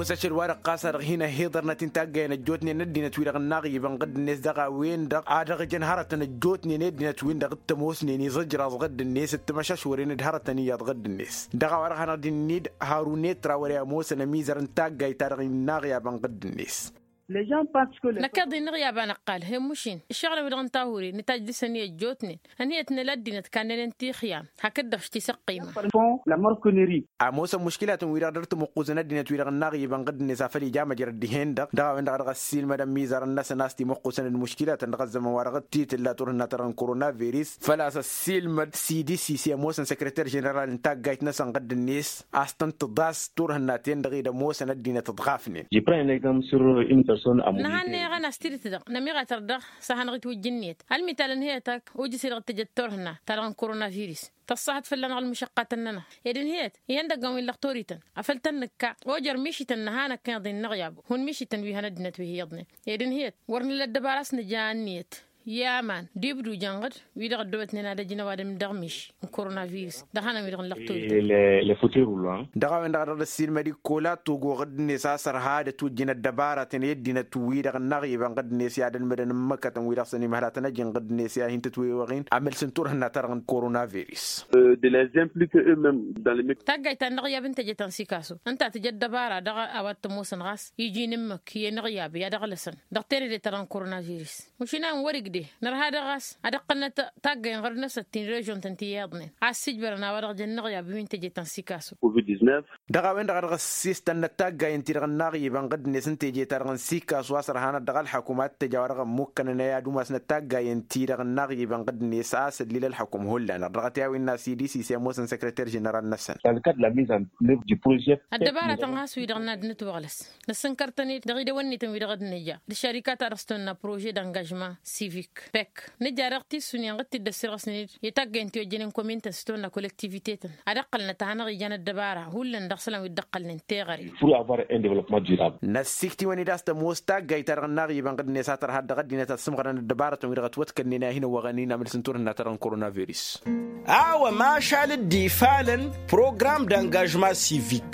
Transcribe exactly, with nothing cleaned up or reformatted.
Ămoos ašăl-wa-dăɣ ɣas a-dăɣ hin-ăhhiḍărnăt-in taggayăn ăjjootnen ăddinăt-wi-dăɣ ǝnnaɣ iba n-ɣǝdd-net dăɣ-a-wen-dăɣ a dăɣ-ǝjăn hărătăn ăjjootnen i-ăddinăt-win-dăɣ t-ămoosnen iẓǝjraẓ ɣǝdd-net d-timăšašwăren d-hărătăn iyyăḍ ɣǝdd-net. Dăɣ-a-wa-dăɣ hanăɣ-dd-innid harun etra wăr-e ămoosăn ămizăr n-taggayt-ta-dăɣ innăɣ iba n-ɣǝdd-net. Năkk iḍ innăɣ i-abba năqqal he-mušin ǝššăɣǝlăn-wi-dăɣ n-tahure nǝtajj dăr-săn i-ăjjootnen. Ănhǝyăt n-ăla ăddinăt kannănen tixyam hakd-dăɣ s-tisăqqima. Ămoosăn muškilatăn-wi-dăɣ dăr-tămuqquzăn ăddinăt-wi-dăɣ ǝnnaɣ iba n-ɣǝdd-net afăl ija măjrăd dihen-dăɣ dăɣ-a-wen-dăɣ a dăɣ-ăssiilmăd ămmizăr-năsăn a-s timuqqusăn d-muškilatăn dăɣ-ăzzăman wa dăɣ-t-titǝlla turhǝnna ta-dăɣ n-korona viris. Făl-a-s ăssiilmăd sidi sisi ămoosăn săkrăter ženeral n-taggayt-năsăn ɣǝdd-net a-s tăn-tǝḍas turhǝnna-ten-dăɣ i-dd-ămoosăn ăddinăt ǝḍɣafnen. Nǝhannăyăɣăn a-s tidǝt-dăɣ nămiɣatăr dăɣ-s ad-hanăɣ-itwǝjj ǝnniyăt ălmital ǝnhǝyăt ak ujǝs-i-dăɣ ǝttăjăt turhǝnna-ta-dăɣ n-korona viris. Tăṣṣahăt fălla-năɣ ălmǝšăqqatăn-nănăɣ ed ǝnhǝyăt ihăndăggăn wi n-lăxtorităn afăl tăn-nǝkka ojăr mišităn nǝha năkkăneḍ-in n-aɣyab. Hun mišităn wi hăn ăddinăt wi hi-iyyăḍnen ed ǝnhǝyăt wăr nǝla ăddăbara a-s nǝja ǝnniyăt. I-aman d-ibdujăn ɣǝd wi-dăɣ ăddoobătnen ad-ăj n-ăwadǝm dăɣ-miši n-korona viris dăɣ-hanăn-wi-dăɣ n-lăxtorităn. Dăɣ-a-wen-dăɣ a dăɣ-dd-ăssiilmăd ikkola togo ɣǝdd-net a-s ărha ad-ătwǝjjǝn ăddăbaratăn i-ăddinăt-wi-dăɣ ǝnnaɣ iba n-ɣǝdd-net i-ad-ălmădăn n-imăkkătăn wi-dăɣ săn imhălatăn ăj n-ɣǝdd-net i-ad-hin-tǝtwewăɣ-in amǝls n-turhǝnna-ta-dăɣ n-korona viris. Taggayt ta n-inăɣyab n-teje ta n-sikasu ǝnta tǝja ăddăbara dăɣ-a-wa t-ămoosăn ɣas iji n-ǝmmǝk i-inăɣyab i-ad-ăɣlăsăn dăɣ-tenăde-ta-dăɣ n-korona viris. Mašin a ǝnwăr-igde nărha dăɣ-a-s ad-ăqqălnăt taggayen ɣărnăsăt ti n-režon-tăn ti iyyăḍnen a ăssiijbărăn a-wa dăɣ-jăn inăɣyab wi n-teje ta n-sikasu. Dăɣ-a-wen-dăɣ a dăɣ-ăssiistănnăt taggayen-ti-dăɣ ǝnnaɣ iba n-ɣǝddǝnet n-teje-ta-dăɣ n-sikasu a-s ărhanăt dăɣ-ălxăkum ad-t-ăj a-wa dăɣ-ămmukkănăn i-ad-umasnăt taggayen-ti-dăɣ ǝnnaɣ iba n-ɣǝddǝnet a-s ăllil ălxăkum hullan dăɣ-dăɣ-t i-a-wen n-a-s idis-i s-e ămoosăn săkrăter ženeral-năsăn. Ăddăbaratăn ɣas wi-dăɣ n-ad-nǝtwăɣlăs năssǝnkăr-tăn-dd dăɣ-idăwănnităn wi-dăɣ d-nǝja d-ăššărikatăn dăɣ-s tăwănna prože d-angăžma sivik pek nǝja dăɣ-tissunen ɣǝd t-dd-ăssirɣăsnen-dd i-taggăyăn ti ojjănen komintăn s-tăwănna kolektivitetăn ad-ăqqălnăt a hanăɣ-ijan ăddăbara hullan dăɣ-isălan wi dd-ăqqălnen teɣăre. Năssikt'-iwăn-dd a-s tămoos taggayt-ta-dăɣ ǝnnaɣ iba n-ɣǝddǝnet a tărha dăɣ-ăddinăt ad-sǝmɣărăn ăddăbarătăn wi-dăɣ ătwătkănnen a hin-ăwwăɣăn-in amǝls n-turhǝnna-ta-dăɣ n-korona viris. A-wa mašal dd-ifalăn program d-angažma sivik.